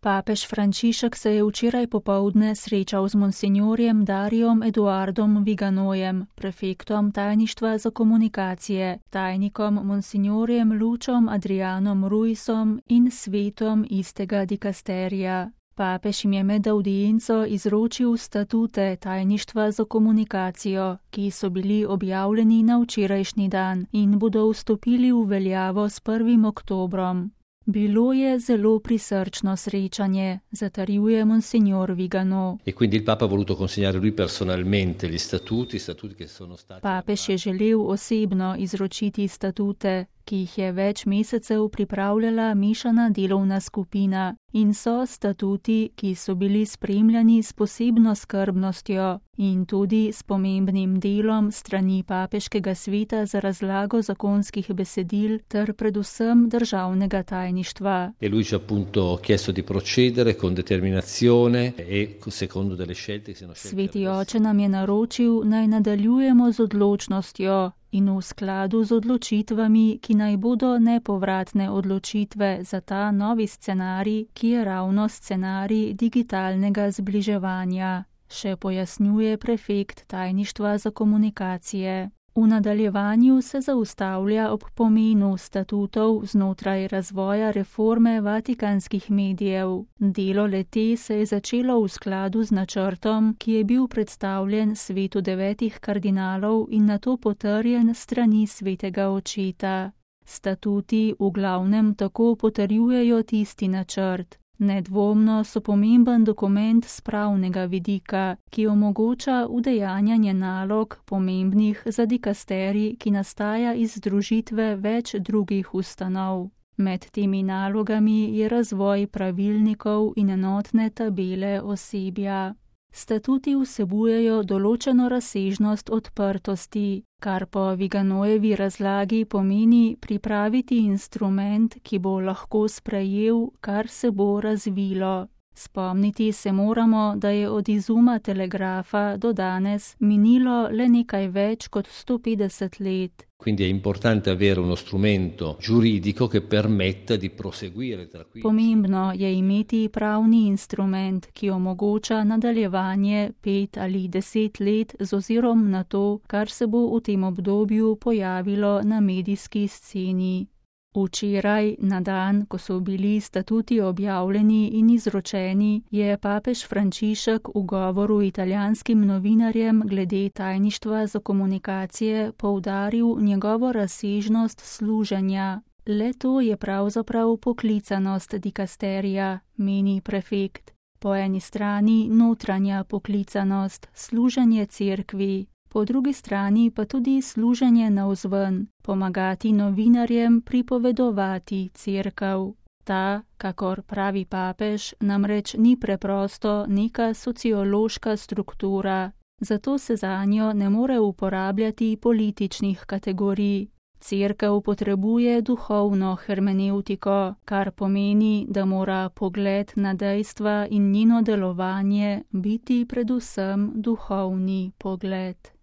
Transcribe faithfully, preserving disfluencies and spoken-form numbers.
Papež Frančišek se je včeraj popoldne srečal z monsinjorjem Darijom Eduardom Viganojem, prefektom tajništva za komunikacije, tajnikom monsinjorjem Lučom Adrianom Ruisom in svetom istega dikasterija. Papež jim je med audienco izročil statute tajništva za komunikacijo, ki so bili objavljeni na včerajšnji dan in bodo vstopili v veljavo s prvim oktobrom. Bilo je zelo prisrčno srečanje, zatrjuje monsignor Vigano. E quindi il Papa ha voluto consegnare lui personalmente gli statuti, statuti che sono stati... Papež je želel osebno izročiti statute, ki jih je več mesecev pripravljala mešana delovna skupina, in so statuti, ki so bili spremljani s posebno skrbnostjo in tudi s pomembnim delom strani papeškega sveta za razlago zakonskih besedil ter predvsem državnega tajništva. E lui ci ha appunto chiesto di procedere con determinazione e secondo delle scelte che siano scelte. Sveti oče nam je naročil, naj nadaljujemo z odločnostjo in v skladu z odločitvami, ki naj bodo nepovratne odločitve za ta novi scenarij, ki je ravno scenarij digitalnega zbliževanja, še pojasnjuje prefekt tajništva za komunikacije. V nadaljevanju se zaustavlja ob pomenu statutov znotraj razvoja reforme vatikanskih medijev. Delo le-te se je začelo v skladu z načrtom, ki je bil predstavljen svetu devetih kardinalov in nato potrjen strani svetega očeta. Statuti v glavnem tako potrjujejo tisti načrt. Nedvomno so pomemben dokument s pravnega vidika, ki omogoča udejanjanje nalog pomembnih za dikasterij, ki nastaja iz združitve več drugih ustanov. Med temi nalogami je razvoj pravilnikov in enotne tabele osebja. Statuti vsebujejo določeno razsežnost odprtosti, kar po Viganojevi razlagi pomeni pripraviti instrument, ki bo lahko sprejel, kar se bo razvilo. Spomniti se moramo, da je od izuma telegrafa do danes minilo le nekaj več kot sto petdeset let. Quindi è importante avere uno strumento giuridico che permetta di proseguire tra qui. Pomembno je imeti pravni instrument, ki omogoča nadaljevanje pet ali deset let z ozirom na to, kar se bo v tem obdobju pojavilo na medijski sceni. Včeraj, na dan, ko so bili statuti objavljeni in izročeni, je papež Frančišek v govoru italijanskim novinarjem glede tajništva za komunikacije poudaril njegovo razsežnost služenja. Le to je pravzaprav poklicanost dikasterija, meni prefekt. Po eni strani notranja poklicanost, služenje cerkvi. Po drugi strani pa tudi služenje navzven, pomagati novinarjem pripovedovati cerkev. Ta, kakor pravi papež, namreč ni preprosto neka sociološka struktura, zato se zanjo ne more uporabljati političnih kategorij. Cerkev potrebuje duhovno hermenevtiko, kar pomeni, da mora pogled na dejstva in njeno delovanje biti predvsem duhovni pogled.